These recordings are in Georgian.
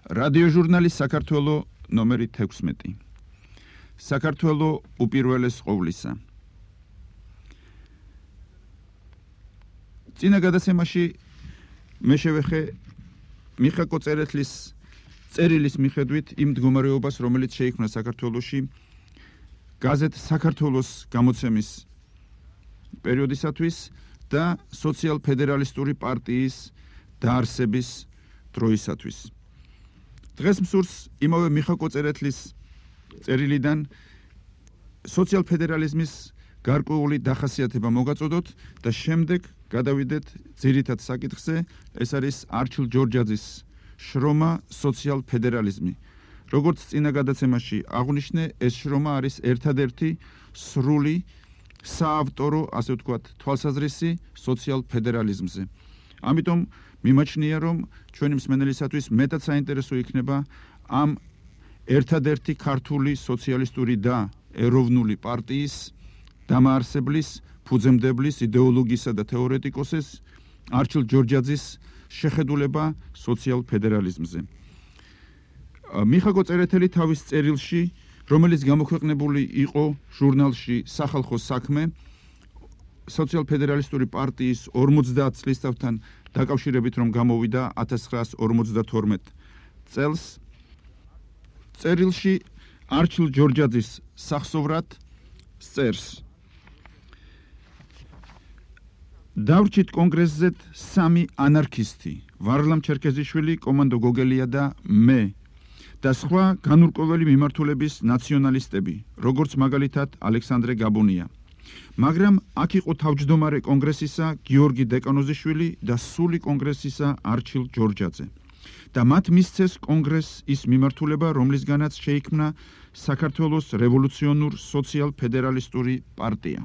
რადიოჟურნალი საქართველო ნომერი 16. საქართველო უპირველეს ყოვლისა. წინა გადაცემაში მე შევეხე მიხა კოწერეთლის წერილის მიხედვით იმ მდგომარეობას, რომელიც შეიქმნა საქართველოში გაზეთ საქართველოს გამოცემის პერიოდისათვის და სოციალ-ფედერალისტური პარტიის დაარსების დროისათვის. დღეს მსურს იმავე მიხა კოწერეთლის წერილიდან სოციალ-ფედერალიზმის გარკვეული დახასიათება მოგაწოდოთ და შემდეგ გადავიდეთ ძირითად საკითხზე, ეს არის არჩილ ჯორჯაძის შრომა სოციალ-ფედერალიზმი. როგორც წინა გადაცემაში აღვნიშნე, ეს შრომა არის ერთადერთი სრული საავტორო, ასე ვთქვათ, თვალსაზრისი სოციალ-ფედერალიზმზე. ამიტომ მიმაჩნია, რომ ჩვენი მსმენელისათვის მეტად საინტერესო იქნება ამ ერთადერთი ქართული სოციალისტური და ეროვნული პარტიის დამაარსებლის, ფუძემდებლის, იდეოლოგისა და თეორეტიკოსის არჩილ ჯორჯაძის შეხედულება სოციალ-ფედერალიზმზე. მიხა კოწერეთელი თავის წერილში, რომელიც გამოქვეყნებული იყო ჟურნალში სახალხო საქმე, სოციალ-ფედერალისტური პარტიის 50 წლისთავთან დაკავშირებით, რომ გამოვიდა 1952 წელს, წერილში არჩილ ჯორჯაძის სახსოვრად წერს. დავრჩით კონგრესზე 3 ანარქისტი, ვარლამ ჩერქეზიშვილი, კომანდო გოგელია და მე და სხვა განურკვეველი მიმართულების ნაციონალისტები, როგორც მაგალითად ალექსანდრე გაბუნია. მაგრამ აქ იყო თავმჯდომარე კონგრესისა გიორგი დეკანოზიშვილი და სული კონგრესისა არჩილ ჯორჯაძე. და მათ მისცეს კონგრესს ის მიმართულება, რომლისგანაც შეიქმნა საქართველოს რევოლუციონურ სოციალ-ფედერალისტური პარტია.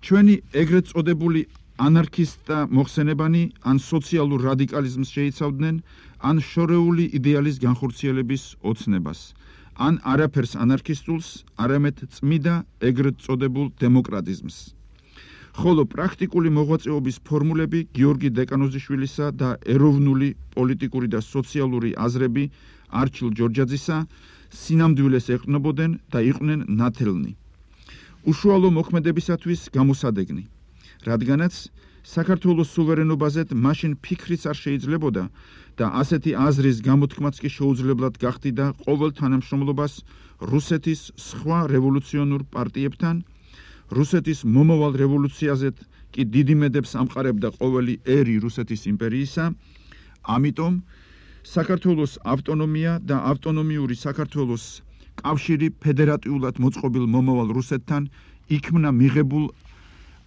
ჩვენი ეგრეთ წოდებული ანარქისტთა მოხსენებანი ან სოციალურ რადიკალიზმს შეიცავდნენ, ან შორეული იდეალის განხორციელების ოცნებას, ან არაფერს ანარქისტულს, არამედ წმიდა ეგრეთ წოდებულ დემოკრატიზმს. ხოლო პრაქტიკული მოღვაწეობის ფორმულები გიორგი დეკანოზიშვილისა და ეროვნული, პოლიტიკური და სოციალური აზრები არჩილ ჯორჯაძისა სინამდვილეს ეყრდნობოდნენ და იყვნენ ნათელნი. უშუალო მოქმედებისათვის გამოსადეგნი, რადგანაც საქართველოს სუვერენობაზე მაშინ ფიქრიც არ შეიძლებოდა და ასეთი აზრის გამოთქმაც კი შეუძლებლად გახდიდა ყოველ თანამშრომლობას რუსეთის სხვა რევოლუციონურ პარტიებთან, რუსეთის მომავალ რევოლუციაზეც კი დიდი მედებს ამყარებდა ყოველი ერი რუსეთის იმპერიისა, ამიტომ საქართველოს ავტონომია და ავტონომიური საქართველოს კავშირი ფედერატიულად მოწყობილ მომავალ რუსეთთან იქმნა მიღებულ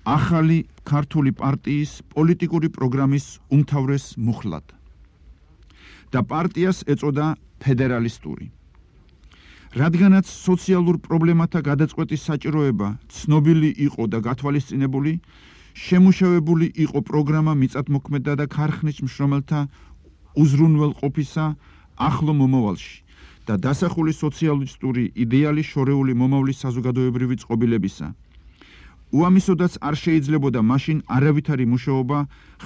ახალი ქართული პარტიის პოლიტიკური პროგრამის უმთავრეს მუხლად და პარტიას ეწოდა ფედერალისტური. რადგანაც სოციალურ პრობლემათა გადაწყვეტის საჭიროება ცნობილი იყო და გათვალისწინებული, შემუშავებული იყო პროგრამა მიწათმოქმედა და ქარხნის მშრომელთა უზრუნველყოფისა ახლო მომავალში და დასახული სოციალისტური იდეალი შორეული მომავლის საზოგადოებრივი წყობილებისა. უამისოდაც არ შეიძლებოდა მაშინ არავითარი მუშაობა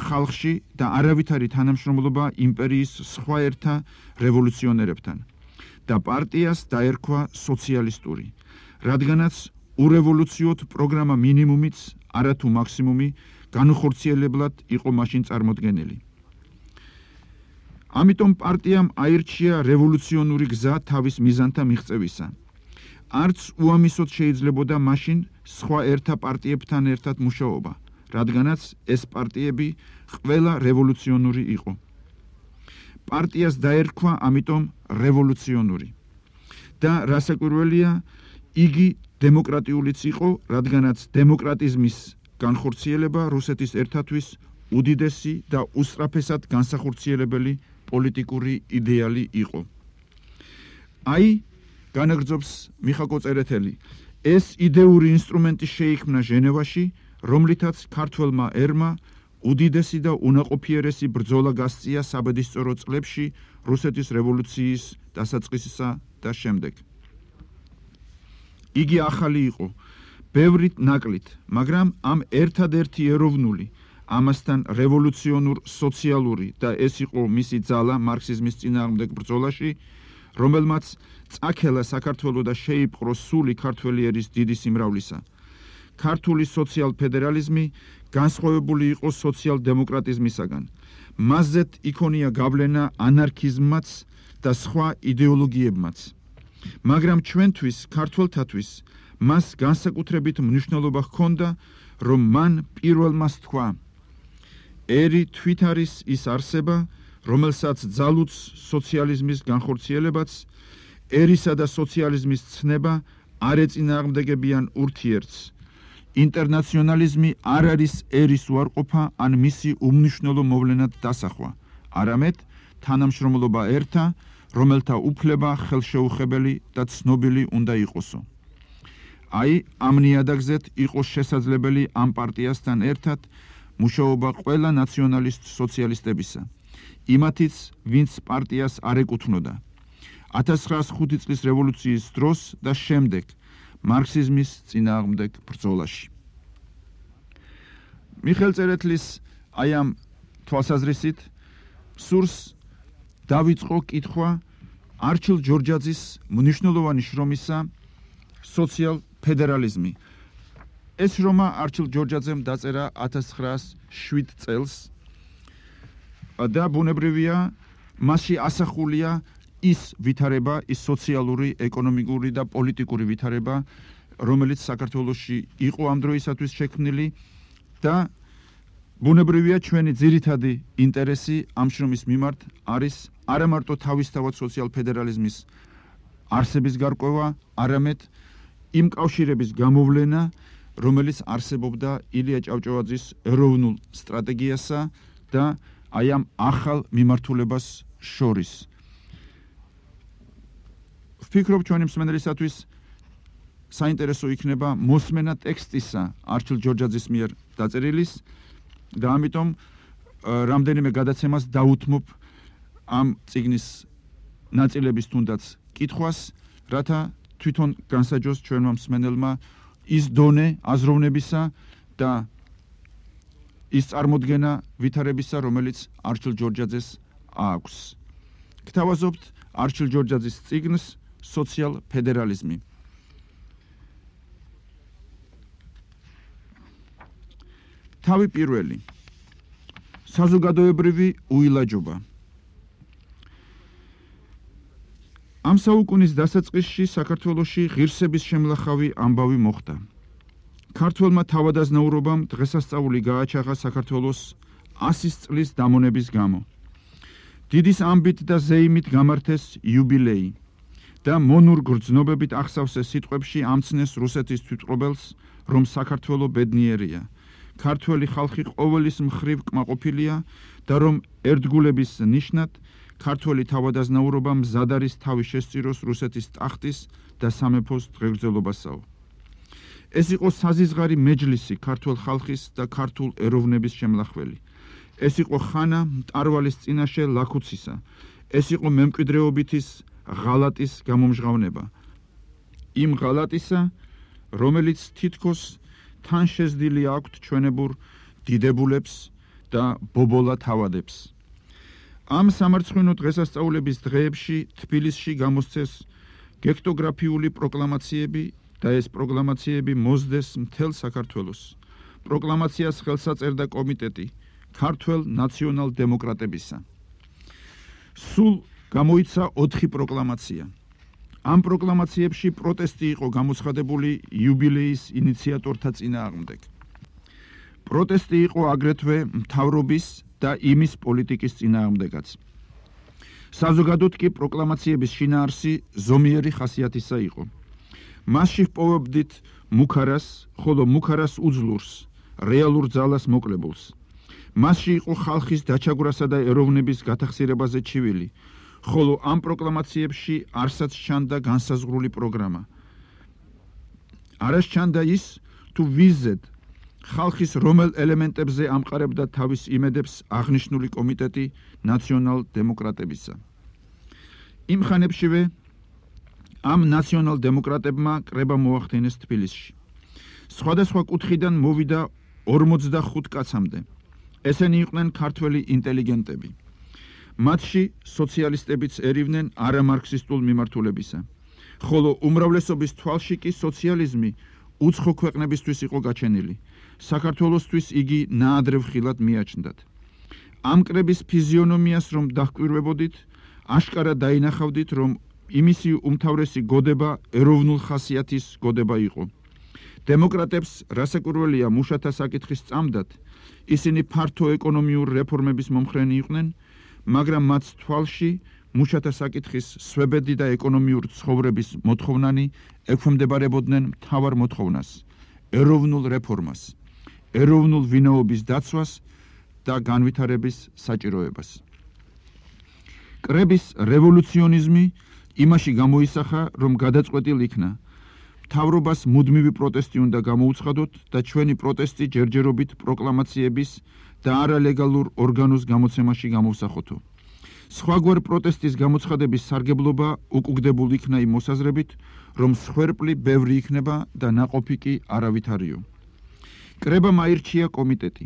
ხალხში და არავითარი თანამშრომლობა იმპერიის სხვა ერთა რევოლუციონერებთან და პარტიას დაერქვა სოციალისტური, რადგანაც ურევოლუციოდ პროგრამა მინიმუმიც, არათუ მაქსიმუმი განუხორციელებლად იყო მაშინ წარმოდგენილი. ამიტომ პარტიამ აირჩია რევოლუციონური გზა თავის მიზანთა მიღწევისა. არც უამისოდ შეიძლებოდა მაშინ სხვა ერთა პარტიებთან ერთად მუშაობა, რადგანაც ეს პარტიები ყველა რევოლუციონური იყო. პარტიას დაერქვა ამიტომ რევოლუციონური და რასაკვირველია, იგი დემოკრატიულიც იყო, რადგანაც დემოკრატიზმის განხორციელება რუსეთის ერთათვის უდიდესი და უსწრაფესად განსახორციელებელი პოლიტიკური იდეალი იყო. აი, განაგრძობს მიხა კოწერეთელი, ეს იდეური ინსტრუმენტი შეიქმნა ჟენევაში, რომლითაც ქართველმა ერმა უდიდესი და უნაყოფიერესი ბრძოლა გასწია საბედისწერო წლებში რუსეთის რევოლუციის დასაწყისისა და შემდეგ. იგი ახალი იყო, ბევრით ნაკლით, მაგრამ ამ ერთადერთი ეროვნული, ამასთან რევოლუციონურ სოციალური და ეს იყო მისი ძალა მარქსიზმის წინააღმდეგ ბრძოლაში, რომელმაც წაქელა საქართველო და შეიპყრო სული ქართველი ერის დიდი სიმრავლისა. ქართული სოციალ-ფედერალიზმი განსხვავებული იყო სოციალ-დემოკრატიზმისაგან. მასზეც იქონია გავლენა ანარქიზმმაც და სხვა იდეოლოგიებმაც. მაგრამ ჩვენთვის, ქართველთათვის, მას განსაკუთრებით მნიშვნელობა ჰქონდა, რომ მან პირველმა თქვა: ერი თვით არის ის არსება, რომელსაც ძალუძს სოციალიზმის განხორციელებაც, ერისა და სოციალიზმის ცნება არ ეწინააღმდეგებიან ურთიერთს. ინტერნაციონალიზმი არ არის ერის უარყოფა ან მისი უმნიშვნელო მოვლენად დასახვა, არამედ თანამშრომლობა ერთა, რომელთა უფლება ხელშეუხებელი და ცნობილი უნდა იყოსო. აი, ამ ნიადაგზეთ იყო შესაძლებელი ამ პარტიასთან ერთად მუშაობა ყველა ნაციონალისტ სოციალისტებისა, იმათიც, ვინც პარტიას არ ეკუთვნოდა. 1905 წლის რევოლუციის დროს და შემდეგ მარქსიზმის წინააღმდეგ ბრძოლაში. მიხეილ წერეთლის აი ამ თვალსაზრისით სურს დავიწყო კითხვა არჩილ ჯორჯაძის მნიშვნელოვანი შრომისა სოციალ-ფედერალიზმი. ეს შრომა არჩილ ჯორჯაძემ დაწერა 1907 წელს და ბუნებრივია მასში ასახულია ის ვითარება, ის სოციალური, ეკონომიკური და პოლიტიკური ვითარება, რომელიც საქართველოში იყო ამ დროისათვის შექმნილი და ბუნებრივია ჩვენი ძირითადი ინტერესი ამ შრომის მიმართ არის არა მარტო თავისთავად სოციალ-ფედერალიზმის არსების გარკვევა, არამედ იმ კავშირების გამოვლენა, რომელიც არსებობდა ილია ჭავჭავაძის ეროვნულ სტრატეგიასა და აი ამ ახალ მიმართულებას შორის. ვფიქრობ, ჩვენი მსმენელისათვის საინტერესო იქნება მოსმენა ტექსტისა არჩილ ჯორჯაძის მიერ დაწერილის და ამიტომ რამდენიმე გადაცემას დაუთმობ ამ წიგნის ნაწილების თუნდაც კითხვას, რათა თვითონ განსაჯოს ჩვენმა მსმენელმა ის დონე აზროვნებისა და ის წარმოდგენა ვითარებისა, რომელიც არჩილ ჯორჯაძეს აქვს. გთავაზობთ არჩილ ჯორჯაძის წიგნს სოციალ-ფედერალიზმი. თავი პირველი. საზოგადოებრივი უილაჯობა. ამ საუკუნის დასაწყისში საქართველოში ღირსების შემლახავი ამბავი მოხდა. ქართველმა თავადაზნაურობამ დღესასწაული გააჩაღა საქართველოს 100 წლის დამონების გამო. დიდის ამბით და ზეიმით გამართეს იუბილეი და მონურ გრძნობებით ახსავსეს სიტყვებში ამცნეს რუსეთის თვითმფრობელს, რომ საქართველო ბედნიერია, ქართველი ხალხი ყოველის მხრივ კმაყოფილია და რომ ერთგულების ნიშნად ქართველი თავადაზნაურობა მზად არის თავი შესწიროს რუსეთის ტახტის და სამეფოს დღეგრძელობასაო. ეს იყო საზიზღარი მეჯლისი ქართულ ხალხის და ქართულ ეროვნების შემლახველი. ეს იყო ხანა მტარვალის წინაშე ლაქუცისა. ეს იყო მემკვიდრეობითის ღალატის გამომჟღავნება. იმ ღალატისა, რომელიც თითქოს თან შეზდილი აქვთ ჩვენებურ დიდებულებს და ბობოლა თავადებს. ამ სამარცხვინო დღესასწაულების დღეებში თბილისში გამოსცეს გექტოგრაფიული პროკლამაციები და ეს პროკლამაციები მოსდეს მთელ საქართველოს. პროკლამაციას ხელს აწერდა კომიტეტი ქართველ ნაციონალ-დემოკრატებისა. სულ გამოიცა 4 პროკლამაცია. ამ პროკლამაციებში პროტესტი იყო გამოცხადებული იუბილეის ინიციატორთა წინააღმდეგ. პროტესტი იყო აგრეთვე მთავრობის და იმის პოლიტიკის წინააღმდეგაც. საზოგადოდ კი პროკლამაციების შინაარსი ზომიერი ხასიათისა იყო. მასში ჰპოვებდით მუქარას, ხოლო მუქარას უძლურს, რეალურ ძალას მოკლებულს. მასში იყო ხალხის დაჩაგვრასა და ეროვნების გათახსირებაზე ჩივილი, ხოლო ამ პროკლამაციებში არსაც ჩანდა განსაზღვრული პროგრამა. არას ჩანდა ის, თუ ვიზეთ ხალხის რომელ ელემენტებზე ამყარებდა თავის იმედებს აღნიშნული კომიტეტი ნაციონალ-დემოკრატებისა. იმ ხანებშივე ამ ნაციონალ-დემოკრატებმა კრება მოახდინეს თბილისში. სხვადასხვა კუთხიდან მოვიდა 45 კაცამდე. ესენი იყვნენ ქართველი ინტელიგენტები. მათში სოციალისტებიც ერივნენ არამარქსისტულ მიმართულებისა, ხოლო უმრავლესობის თვალში კი სოციალიზმი უცხო ქვეყნებისთვის იყო გაჩენილი. საქართველოსთვის იგი ნაადრევ ხილად მიაჩნდათ. ამ კრების ფიზიონომიას რომ დაჰკვირვებოდით, აშკარად დაინახავდით, რომ იმისი უმთავრესი გოდება ეროვნულ ხასიათის გოდება იყო. დემოკრატებს რასაკვირველია მუშათა საკითხის წამდათ, ისინი ფართო ეკონომიურ რეფორმების მომხრენი იყვნენ, მაგრამ მათ თვალში მუშათა საკითხის სვებედი და ეკონომიურ ცხოვრების მოთხოვნანი ექვემდებარებოდნენ მთავარ მოთხოვნას, ეროვნულ რეფორმას, ეროვნულ ვინაობის დაცვას და განვითარების საჭიროებას. კრების რევოლუციონიზმი იმაში გამოისახა, რომ გადაწყვეტილ იქნა, მთავრობას მუდმივი პროტესტი უნდა გამოუცხადოთ და ჩვენი პროტესტი ჯერჯერობით პროკლამაციების და არალეგალურ ორგანოს გამოცემაში გამოვსახოთო. სხვაგვარ პროტესტის გამოცხადების სარგებლობა უკუგდებულ იქნა იმ მოსაზრებით, რომ სხვერპლი ბევრი იქნება და ნაყოფი კი არავითარიო. კრებამ აირჩია კომიტეტი.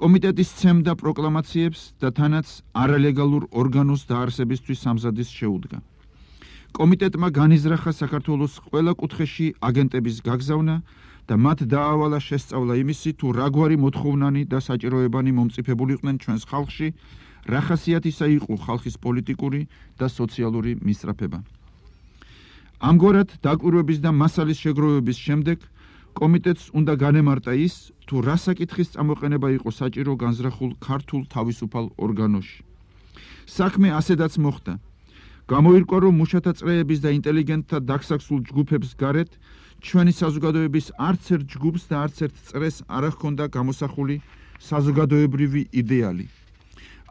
კომიტეტი სცემდა პროკლამაციებს და თანაც არალეგალურ ორგანოს დაარსებისთვის სამზადის შეუდგა. კომიტეტმა განიზრახა საქართველოს ყველა კუთხეში აგენტების გაგზავნა და მათ დაავალა შესწავლა იმისი, თუ რაგვარი მოთხოვნანი და საჭიროებანი მომწიფებულიყვნენ ჩვენს ხალხში, რა ხასიათისა იყო ხალხის პოლიტიკური და სოციალური მისწრაფება. ამგვარად დაკვირვების და მასალის შეგროვების შემდეგ კომიტეტს უნდა განემარტა ის, თუ რა საკითხის წამოყენება იყო საჭირო განზრახულ ქართულ თავისუფალ ორგანოში. საქმე ასედაც მოხდა. გამოირკვა, რომ მუშათა წრეების და ინტელიგენტთა დაქსაქსულ ჯგუფებს გარეთ ჩვენი საზოგადოების არც ერთ ჯგუფს და არც ერთ წრეს არ ჰქონდა გამოსახული საზოგადოებრივი იდეალი.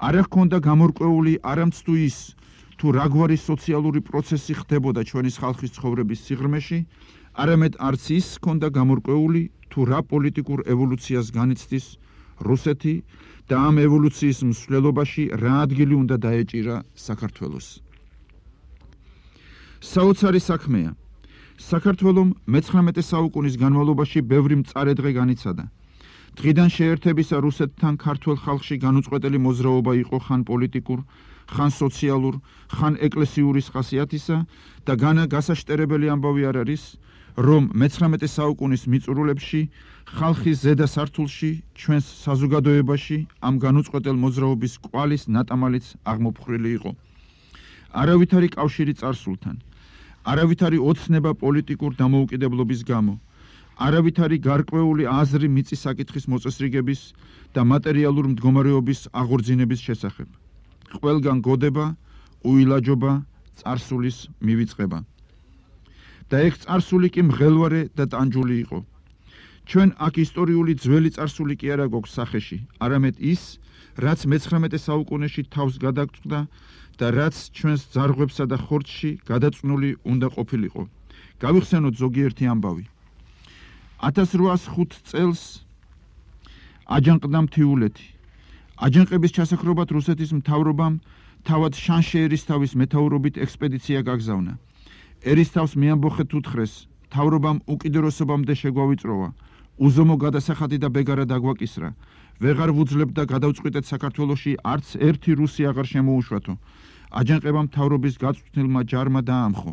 არ ჰქონდა გამორკვეული არამც თუ ის, თუ რაგვარი სოციალური პროცესი ხდებოდა ჩვენის ხალხის ცხოვრების სიღრმეში, არამედ არც ის ჰქონდა გამორკვეული, თუ რა პოლიტიკურ ევოლუციას განიცდის რუსეთი და ამ ევოლუციის მსვლელობაში რა ადგილი უნდა დაეჭირა საქართველოს. საოცარი საქმეა. საქართველომ მე-19 საუკუნის განმავლობაში ბევრი მწარე დღე განიცადა. დღიდან შეერთებისა რუსეთთან ქართველ ხალხში განუწყვეტელი მოძრაობა იყო ხან პოლიტიკურ, ხან სოციალურ, ხან ეკლესიურის ხასიათისა და გასაშტერებელი ამბავი არ არის, რომ მე-19 საუკუნის მიწურულებში, ხალხის ზედა სართულში, ჩვენს საზოგადოებაში ამ განუწყვეტელ მოძრაობის კვალის ნატამალიც აღმოფხრილი იყო. არავითარი კავშირი წარსულთან, არავითარი ოცნება პოლიტიკურ დამოუკიდებლობის გამო, არავითარი გარკვეული აზრი მიწის საკითხის მოწესრიგების და მატერიალურ მდგომარეობის აღორძინების შესახებ. ყველგან გოდება, უილაჯობა, წარსულის მივიწყება. და ეგ წარსული კი მღელვარე და ტანჯული იყო. ჩვენ აქ ისტორიული ძველი წარსული კი არა გვაქვს სახეში, არამედ ის, რაც მე-19 საუკუნეში თავს გადაგწყდა და რაც ჩვენს ძარღვებსა და ხორცში გადაწნული უნდა ყოფილიყო. გავიხსენოთ ზოგიერთი ამბავი. 1805 წელს აჯანყდა მთიულეთი. აჯანყების ჩასაქრობად რუსეთის მთავრობამ თავად შანშე-ერისთავის მეთაურობით ექსპედიცია გაგზავნა. ერისთავს მეამბოხეთ უთხრეს, მთავრობამ უკიდურესობამდე შეგვავიწროვა, უზომო გადასახადი და ბეგარა დაგვაკისრა. ვეღარ ვუძლებთ და გადავწყვიტეთ საქართველოში არც ერთი რუსი აღარ შემოუშვათო. აჯანყებამ მთავრობის გაწვრთნილმა ჯარმა დაამხო.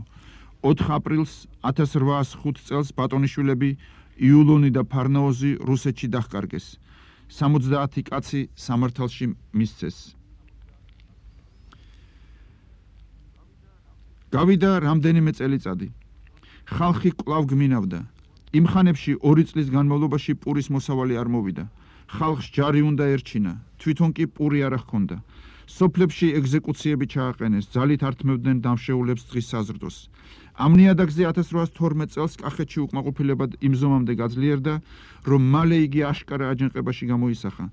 4 აპრილს 1805 წელს ბატონიშვილები იულონი და ფარნაოზი რუსეთში დაჰკარგეს. 70 კაცი სამართალში მისცეს. გავიდა რამდენიმე წელიწადი. ხალხი კვლავ გმინავდა. იმ ხანებში 2 წლის განმავლობაში პურის მოსავალი არ მოვიდა. ხალხს ჯარი უნდა ერჩინა, თვითონ კი პური არ ჰქონდა. სოფლებში ეგზეკუციები ჩააყენეს, ძალით ართმევდნენ დამშეულებს დღის საზრდოს. ამ ნიადაგზე 1812 წელს კახეთში უკმაყოფილებად იმზომამდე გაძლიერდა, რომ მალე იგი აშკარა აჯანყებაში გამოისახა.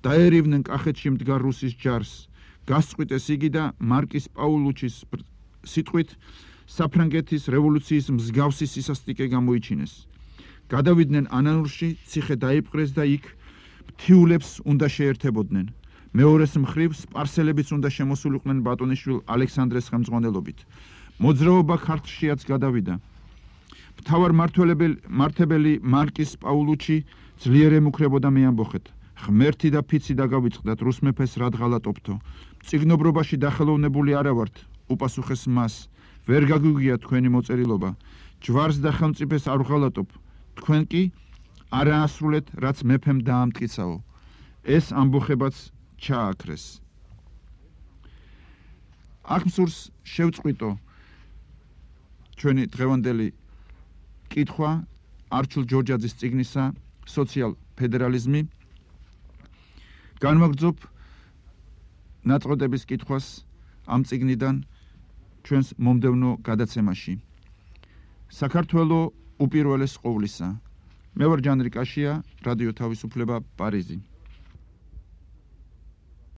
დაერივნენ კახეთში მდგარ რუსის ჯარს. გასწყვიტეს იგი და მარკის პაულუჩის სიტყვით საფრანგეთის რევოლუციის მსგავსი სისასტიკე გამოიჩინეს. გადავიდნენ ანანურში, ციხე დაიპყრეს და იქ მთიულებს უნდა შეერთებოდნენ. მეორეს მხრივ სპარსელებიც უნდა შემოსულიყვნენ ბატონიშვილ ალექსანდრეს ხელმძღვანელობით. მოძრაობა ქართლშიაც გადავიდა. მთავარ მმართველი მარკის პაულუჩი ძლიერ ემუქრებოდა მეამბოხეთ. ღმერთი და ფიცი დაგავიწყდათ რუს მეფეს რად ღალატობთო. წიგნობრობაში დახელოვნებული არა ვართ, უპასუხეს მას. ვერ გაგვიგია თქვენი მოწერილობა. ჯვარს და ხელმწიფეს არ ვღალატობ. თქვენ კი არაასრულეთ, რაც მეფემ დაამტკიცაო. ეს ამბოხებაც ჩააქრეს. აქ მსურს შევწყვიტო ჩვენი დღევანდელი კითხვა არჩილ ჯორჯაძის წიგნისა სოციალ-ფედერალიზმი. განვაგრძობ ნაწყვეტების კითხვას ამ წიგნიდან ჩვენს მომდევნო გადაცემაში. საქართველო უპირველეს ყოვლისა. მე ვარ ჯანრი კაშია, რადიო თავისუფლება, პარიზი.